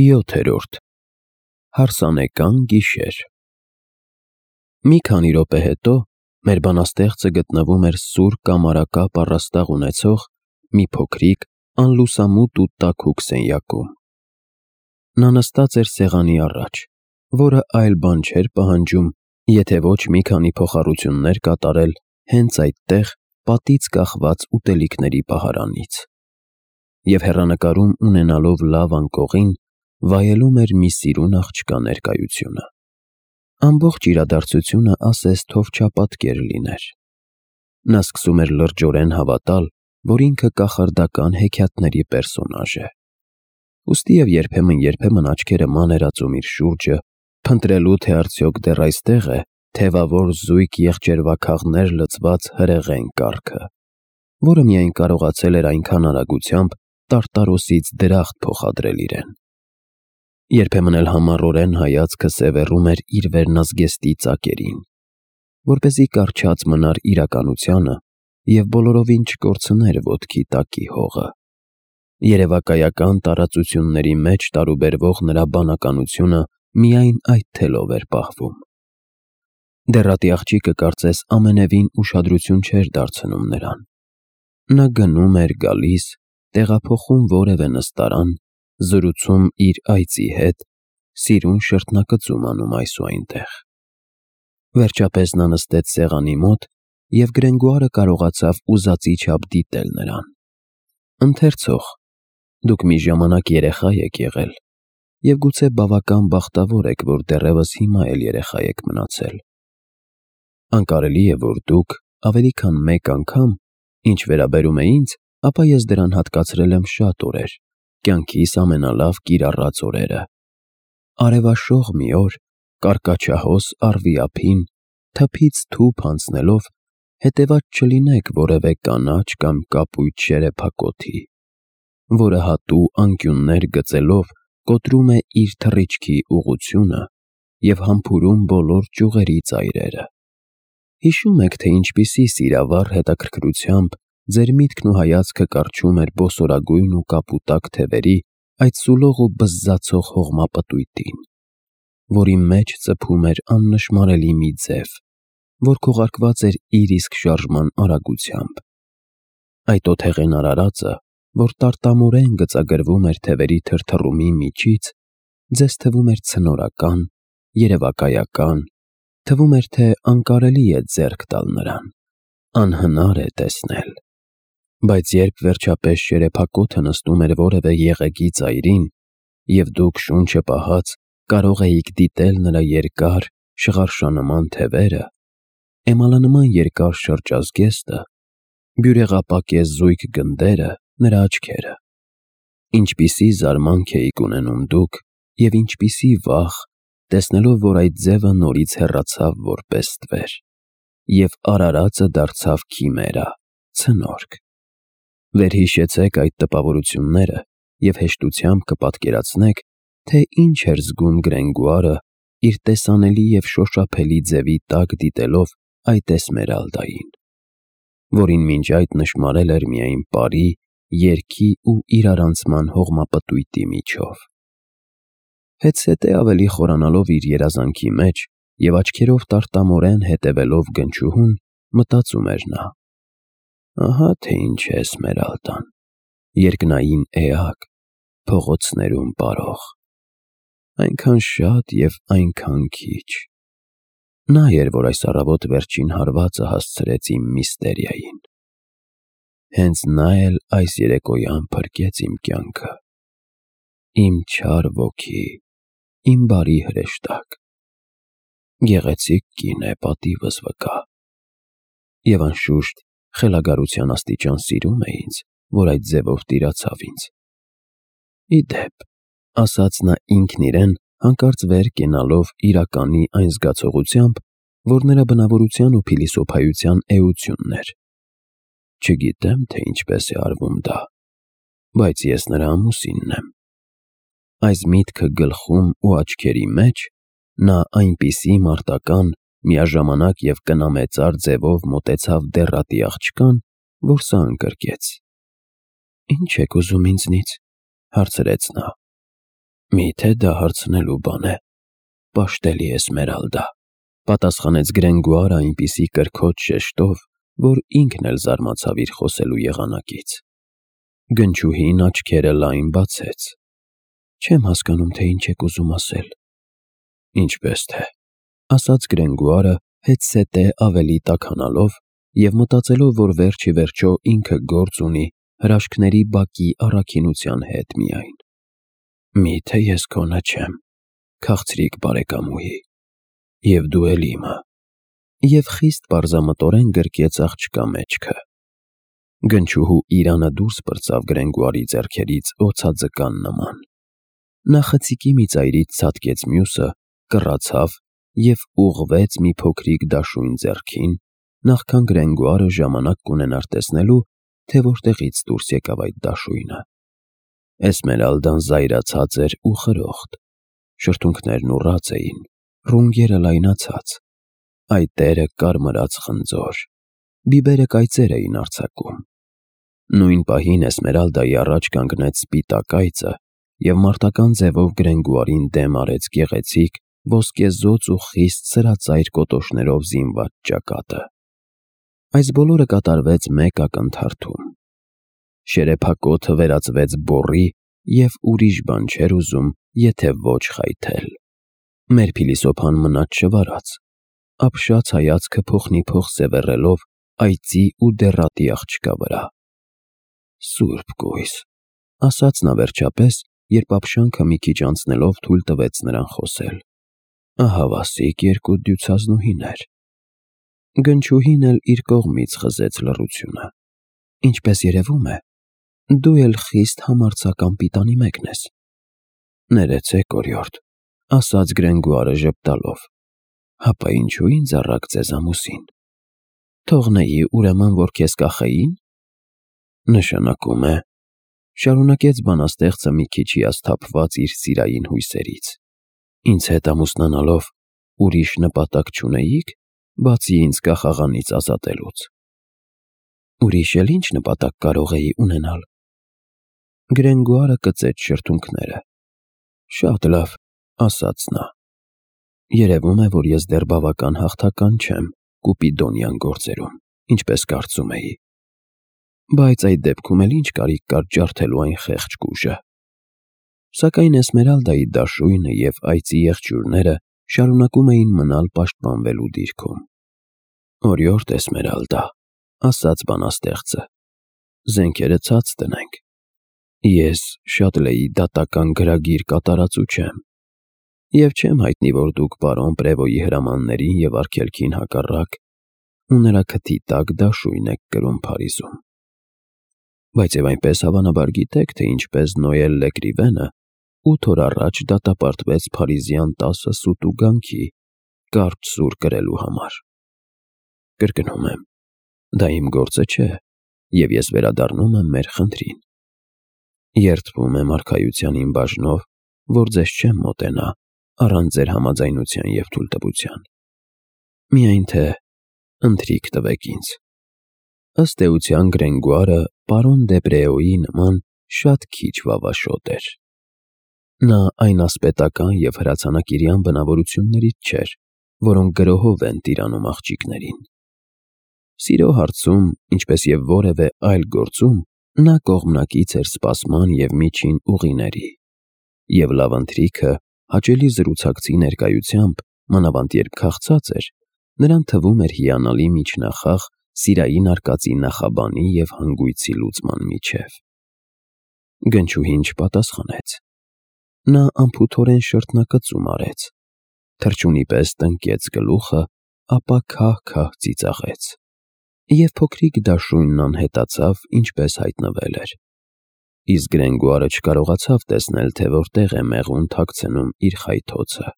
7. Հարսանեկան գիշեր։ Մի քանի րոպե հետո մեր բանաստեղծը գտնվում էր սուր կամարակապ առաստաղ ունեցող մի փոքրիկ, անլուսամուտ ու տաքուկ սենյակում։ Նա նստած էր սեղանի առաջ, որը այլ բան չէր պահանջում, եթե ոչ մի քանի փոխառություններ կատարել հենց այդտեղ պատից կախված ուտելիքների պահարանից, և հեռանկարում ունենալով լավ անկողին, վայելում էր մի սիրուն աղջկա ներկայությունը։ Ամբողջ իրադարձությունը ասես թովչապատկեր լիներ։ Նա սկսում էր լրջորեն հավատալ, որ ինքը կախարդական հեքիաթների պերսոնաժ է։ Ուստի և երբեմն աչքերը մաներածում իր շուրջը, փնտրելու, թե արդյոք դեռ այստեղ է թևավոր զույգ եղջերվաքաղներ լցված հրեղեն կառքը, որը միայն կարողացել էր այնքան արագությամբ տարտարոսից դրախտ փոխադրել իրեն։ Երբեմն էլ համառորեն հայացքը սևեռում էր իր վերնազգեստի ծակերին, որպեսզի կառչած մնար իրականությանը և բոլորովին չկորցներ ոտքի տակի հողը։ Երևակայական տարածությունների մեջ տարուբերվող նրա բանականությունը միայն այդ թելով էր պահվում։ Դեռատի աղջիկը կարծես ամենևին ուշադրություն չէր դարձնում նրան։ Նա գնում էր գալիս, տեղափոխում որևէ նստարան, զրուցում իր այծի հետ, սիրուն շրթնակցում անում այս ու այնտեղ։ Վերջապես նա նստեց սեղանի մոտ և Գրենգոարը կարողացավ ուզածի չափ դիտել նրան։ Ընթերցող, դուք մի ժամանակ երեխա եք եղել և գուցե բավական բախտավոր եք, որ դեռևս հիմա էլ երեխա եք մնացել։ Անկարելի է, որ դուք ավելի քան մեկ անգամ, ինչ վերաբերում է ինձ, ապա ես դրան հատկացրել եմ շատ օրեր, կյանքիս ամենալավ կիրառած օրերը։ Արևաշող մի օր, կարկաչահոս առվի ափին, թփից թուփ անցնելով, հետևած չլինեք որևէ կանաչ կամ կապույտ շերեփակոթի, որը հատու անկյուններ գծելով կոտրում է իր թռիչքի ուղղությունը և համբուրում բոլոր ճյուղերի ծայրերը։ Հիշո՞ւմ եք, թե ինչպիսի սիրավառ հետաքրքրությամբ ձեր միտքն ու հայացքը կառչում էր բոսորագույն ու կապուտակ թևերի այդ սուլող ու բզզացող հողմապտույտին, որի մեջ ծփում էր աննշմարելի մի ձև, որ քողարկված էր իր իսկ շարժման արագությամբ։ Այդ օթեղեն արարածը, որ տարտամորեն գծագրվում էր թևերի թրթռումի միջից, ձեզ թվում էր ցնորական, երևակայական, թվում էր, թե անկարելի է ձեռք տալ նրան, անհնար է տեսնել։ Բայց երբ վերջապես շերեփակոթը նստում էր որևէ եղեգի ծայրին, և դուք շունչը պահած կարող էիք դիտել նրա երկար, շղարշանման թևերը, էմալանման երկար շրջազգեստը, բյուրեղապակե զույգ գնդերը, նրա աչքերը, ինչպիսի զարմանք էիք ունենում դուք և ինչպիսի վախ, տեսնելով, որ այդ ձևը նորից հեռացավ որպես ստվեր, և արարածը դարձավ քիմերա, ցնորք։ Վերհիշեցեք այդ տպավորությունները և հեշտությամբ կպատկերացնեք, թե ինչ էր զգում Գրենգոարը իր տեսանելի և շոշափելի ձևի տակ դիտելով այդ Էսմերալդային, որին մինչ այդ նշմարել էր միայն պարի, երգի ու իրարանցման հողմապտույտի միջով։ Հետզհետե ավելի խորանալով իր երազանքի մեջ և աչքերով տարտամորեն հետևելով գնչուհուն, մտածում էր նա. ահա թե ինչ է Էսմերալդան, երկնային էակ, փողոցներում պարող, այնքան շատ և այնքան քիչ։ Նա էր, որ այս առավոտ վերջին հարվածը հասցրեց իմ միստերիային։ Հենց նա էլ այս երեկոյան փրկեց իմ կյանքը։ Իմ չար ոգի, իմ բարի հրեշտակ։ Գեղեցիկ կին է, պատիվս վկա։ Եվ անշուշտ, խելագարության աստիճան սիրում է ինձ, որ այդ ձևով տիրացավ ինձ։ Ի դեպ, ասաց նա ինքն իրեն, հանկարծ վեր կենալով իրականի այն զգացողությամբ, որ նրա բնավորության ու փիլիսոփայության էությունն էր։ Չգիտեմ, թե ինչպես է արվում դա, բայց ես նրա ամուսինն եմ։ Այս միտքը գլխում ու աչքերի մեջ, նա այնպիսի մարտական, միաժամանակ և կնամեծար ձևով մոտեցավ դեռատի աղջկան, որ սա ընկրկեց։ Ինչ եք ուզում ինձնից, հարցրեց նա։ Միթե դա հարցնելու բան է, պաշտելի Էսմերալդա, պատասխանեց Գրենգուարը այնպիսի կրքոջ շեշտով, որ ինքն էլ զարմացավ իր խոսելու եղանակից։ Գնչուհին աչքերը լայն բացեց։ Չեմ հասկանում, թե ինչ եք ուզում ասել։ Ինչպես թե, ասաց Գրենգուարը հետսետե ավելի տաքանալով և մտածելով, որ վերջ ի վերջո ինքը գործ ունի հրաշքների բակի առաքինության հետ միայն։ Միթե ես քոնը չեմ, քաղցրիկ բարեկամուհի, և դու էլ իմը, և խիստ պարզամտորեն գրկեց աղջկա մեջքը։ Գնչուհու իրանը դուրս պրծավ Գրենգուարի ձեռքերից օձաձկան նման։ Նա խցիկի մի ծայրից ցատկեց մյուսը, կռացավ և ուղղվեց մի փոքրիկ դաշույն ձեռքին, նախքան Գրենգուարը ժամանակ կունենար տեսնելու, թե որտեղից դուրս եկավ այդ դաշույնը։ Էսմերալդան զայրացած էր ու խրոխտ, շրթունքներն ուռած էին, ռունգերը լայնացած, այտերը կարմրած խնձոր, բիբերը կայծեր էին արձակում։ Նույն պահին Էսմերալդայի առաջ կանգնեց սպիտակ այծը և մարտական ձևով Գրենգուարին դեմ արեց գեղեցիկ, ոսկեզօծ ու խիստ սրածայր կոտոշներով զինված ճակատը։ Այս բոլորը կատարվեց մեկ ակնթարթում։ Շերեփակոթը վերածվեց բոռի և ուրիշ բան չէր ուզում, եթե ոչ խայթել։ Մեր փիլիսոփան մնաց չվարած, ապշած հայացքը փոխնիփոխ սևեռելով այծի ու դեռատի աղջկա վրա։ Սուրբ կույս, ասաց նա վերջապես, երբ ապշանքը մի քիչ անցնելով թույլ տվեց նրան խոսել։ Ահավասիկ երկու դյուցազնուհիներ։ Գնչուհին էլ իր կողմից խզեց լռությունը։ Ինչպես երևում է, դու էլ խիստ համարձակ անպիտանի մեկն ես։ Ներեցեք, օրիորդ, ասաց Գրենգուարը ժպտալով, հապա ինչու ինձ առաք ձեզ ամուսին։ Թողնեի ուրեմն, որ քեզ կախեին։ Նշանակում է, շարունակեց բանաստեղծը մի քիչ հիասթափված իր սիրային հույսերից, ինձ հետ ամուսնանալով ուրիշ նպատակ չունեիք, բացի ինձ կախաղանից ազատելուց։ Ուրիշ էլ ինչ նպատակ կարող էի ունենալ։ Գրենգուարը կծեց շրթունքները։ Շատ լավ, ասաց նա։ Երևում է, որ ես դեռ բավական հաղթական չեմ կուպիդոնյան գործերում, ինչպես կարծում էի։ Բայց այդ դեպքում էլ ինչ կարիք կար ջարդելու այն խեղճ կուժը։ Սակայն Էսմերալդայի դաշույնը և այծի եղջյուրները շարունակում էին մնալ պաշտպանվելու դիրքում։ Օրիորդ Էսմերալդա, ասաց բանաստեղծը, զենքերը ցած տնենք։ Ես Շատլեի դատական գրագիր կատարածու չեմ, և չեմ հայտնի, որ դուք պարոն Պրևոյի հրամաններին և արգելքին հակառակ ու նրա քթի տակ դաշույն եք կրում Փարիզում։ Բայց և այնպես հավանաբար գիտեք, թե ինչպես Նոել Լեկրիվենը 8 օր առաջ դատապարտվեց փարիզյան 10 սուտ ու գանքի կարճ սուր կրելու համար։ Կրկնում եմ, դա իմ գործը չէ, և ես վերադառնում եմ մեր խնդրին։ Երդվում եմ արքայության իմ բաժնով, որ ձեզ չեմ մոտենա առանց ձեր համաձայնության և թույլտվության։ Միայն թե ընթրիք տվեք ինձ։ Ըստ էության Գրենգուարը պարոն Դեբրեոյի նման շատ քիչ վավաշոտ էր։ Նա այն ասպետական և հրացանակիրյան բնավորություններից չէր, որոնք գրոհով են տիրանում աղջիկներին։ Սիրո հարցում, ինչպես և որևէ այլ գործում, նա կողմնակից էր սպասման և միջին ուղիների, և լավ ընթրիքը հաճելի զրուցակցի ներկայությամբ, մանավանդ երբ քաղցած էր, նրան թվում էր հիանալի միջնախաղ սիրային արկածի նախաբանի և հանգույցի լուծման միջև։ Գնչուհին չպատասխանեց։ Նա անփութորեն շրթնակծում արեց, թռչունի պես տնկեց գլուխը, ապա քահ-քահ ծիծաղեց, և փոքրիկ դաշույնն անհետացավ, ինչպես հայտնվել էր։ Իսկ Գրենգուարը չկարողացավ տեսնել, թե որտեղ է մեղուն թաքցնում իր խայթոցը։